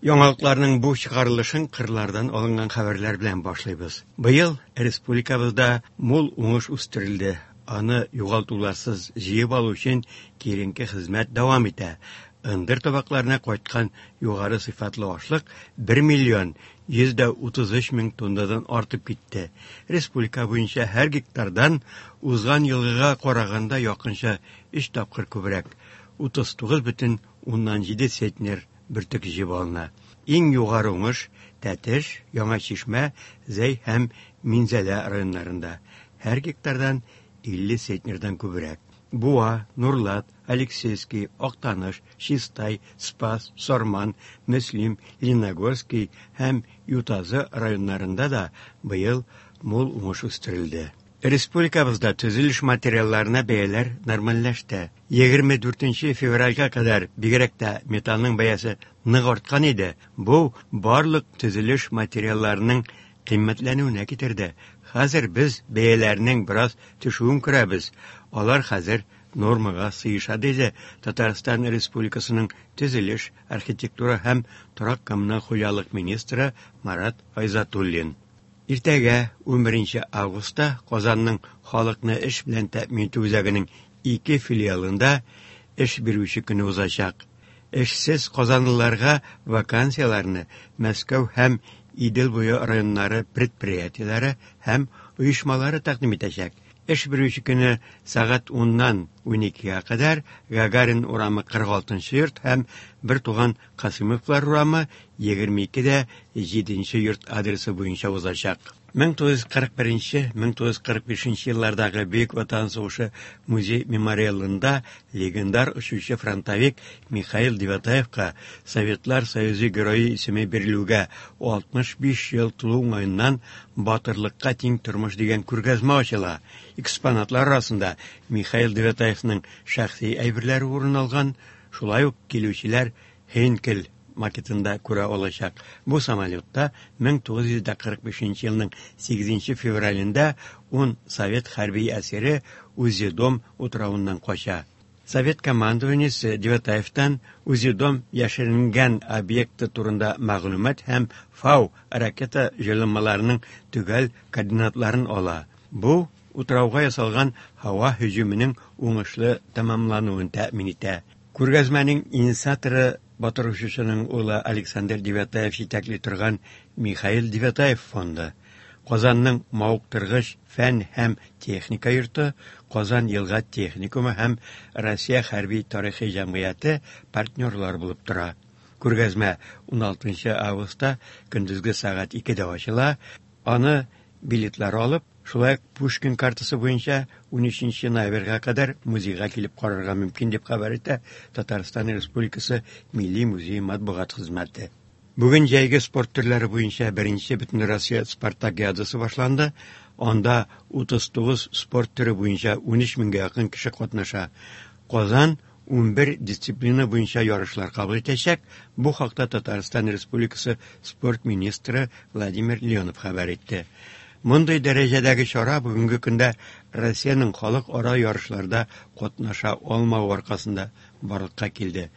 Яңалыкларның бу чыгарылышын кырлардан алынган хәбәрләр белән башлыйбыз. Быел республикабызда мул уңыш үстерелде. Аны югалтуларсыз җыеп алу өчен киеренке хезмәт дәвам итә. Ындыр табакларына кайткан югары сыйфатлы ашлык 1 миллион 133 мең тоннадан артып китте. Республика буенча һәр гектардан узган елгыга караганда якынча 3 тапкыр күбрәк 39,7 центнер бөртек җыеп алына. Иң югары уңыш Тәтеш, Яңа Чишмә, Зәй һәм Минзәлә районнарында. Һәр гектардан 50 центнердан күбрәк. Буа, Нурлат, Алексеевский, Актаныш, Чистай, Спас, Сарман, Мөслим, Лениногорский һәм Ютазы районнарында да быел мул уңыш үстерелде. Республикабызда төзелеш материалларына бәяләр нормальләште. 24 февральгә кадәр бигрәк тә металлның бәясе нык арткан иде. Бу барлык төзелеш материалларының кыйммәтләнүенә китерде. Хәзер без бәяләрнең бераз төшүен күрәбез. Алар хәзер нормага сыеша, диде Татарстан Республикасының төзелеш, архитектура һәм торак-коммуналь хуҗалык министры Марат Айзатуллин. Иртәгә, 11 августта, Казанның халыкны эш белән тәэмин итү үзәгенең ике филиалында эш бирүче көне узачак. Эшсез казанлыларга вакансияләрне Мәскәү һәм Идел буе районнары предприятиеләре һәм оешмалары тәкъдим итәчәк. Эш бирүче көне сәгать 10-нан 12-гә кадәр Гагарин урамы 46 йорт һәм Бертуган Касыймовлар урамы 22-дә 7 йорт адресы буенча узачак. 1941-1945 еллардагы Бөек Ватан сугышы музей-мемориалында легендар очучы-фронтовик Михаил Девятаевка Советлар Союзы Герое исеме бирелүгә 65 ел тулу уңаеннан Батырлыкка тиң тормыш дигән күргәзмә ачыла. Экспонатлар арасында Михаил Девятаевның шәхси әйберләре урын алган, шулай ук килүчеләр Хейнкель макетында күрә алачак. Бу самолетта 1945 елның 8 февралендә 10 совет хәрби әсире Узедом утравыннан кача. Совет командованиесе Девятаевтан Узедом яшеренгән объекты турында мәгълүмат һәм Фау ракета җайланмаларының төгәл координатларын ала. Бу утрауга ясалган һава һөҗүменең уңышлы тәмамлануын тәэмин итә. Күргәзмәнең инициаторы батыр очучының улы Александр Девятаев җитәкли торган Михаил Девятаев фонды, Казанның мавыктыргыч фән һәм техника йорты, Казан елга техникумы һәм Россия хәрби тарихи җәмгыяте партнерлар булып тора. Күргәзмә 16 августта көндезге сәгать 2дә ачыла. Аны билетлар алып, шулай ук Пушкин картасы буенча 13 ноябрьгә кадәр музейга килеп карарга мөмкин, дип хәбәр итә Татарстан Республикасы Милли музее матбугат хезмәте. Бүген җәйге спорт төрләре буенча беренче Бөтенроссия спартакиадасы башланды. Анда 39 спорт төре буенча 13 меңгә якын кеше катнаша. Казан 11 дисциплина буенча ярышлар кабул итәчәк. Бу хакта Татарстан Республикасы спорт министры Владимир Леонов хәбәр итте. Мондый дәрәҗәдәге чара бүгенге көндә Россиянең халыкара ярышларда катнаша алмавы аркасында барлыкка килде.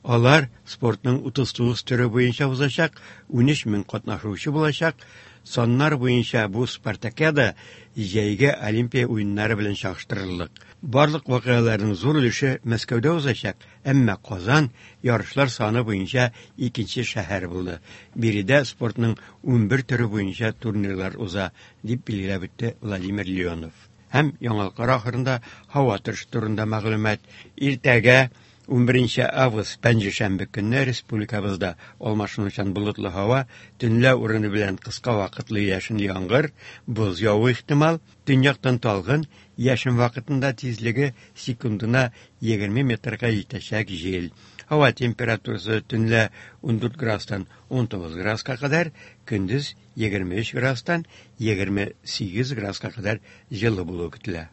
Алар спортның 39 төре буенча узачак, 13 мең катнашучы булачак. Саннар буенча бу спартакиада җәйге Олимпия уеннары белән чагыштырырлык. Барлык вакыйгаларның зур өлеше Мәскәүдә узачак, әмма Казан ярышлар саны буенча икенче шәһәр булды. Биредә спортның 11 төре буенча турнирлар уза, дип билгеләп үтте Владимир Леонов. Һәм яңалыклар ахырында һава торышы турында мәгълүмат. Иртәгә 11 август пәнҗешәмбе көнне республикабызда алмашынучан болытлы һава, төнлә урыны белән кыска вакытлы яшенле яңгыр, боз явуы ихтимал, төньяктан талгын, яшен вакытында тизлеге секундына 20 метрга җитәчәк җил. Һава температурасы төнлә 14 градустан 19 градуска кадәр, көндез 23 градустан 28 градуска кадәр җылы булуы көтелә.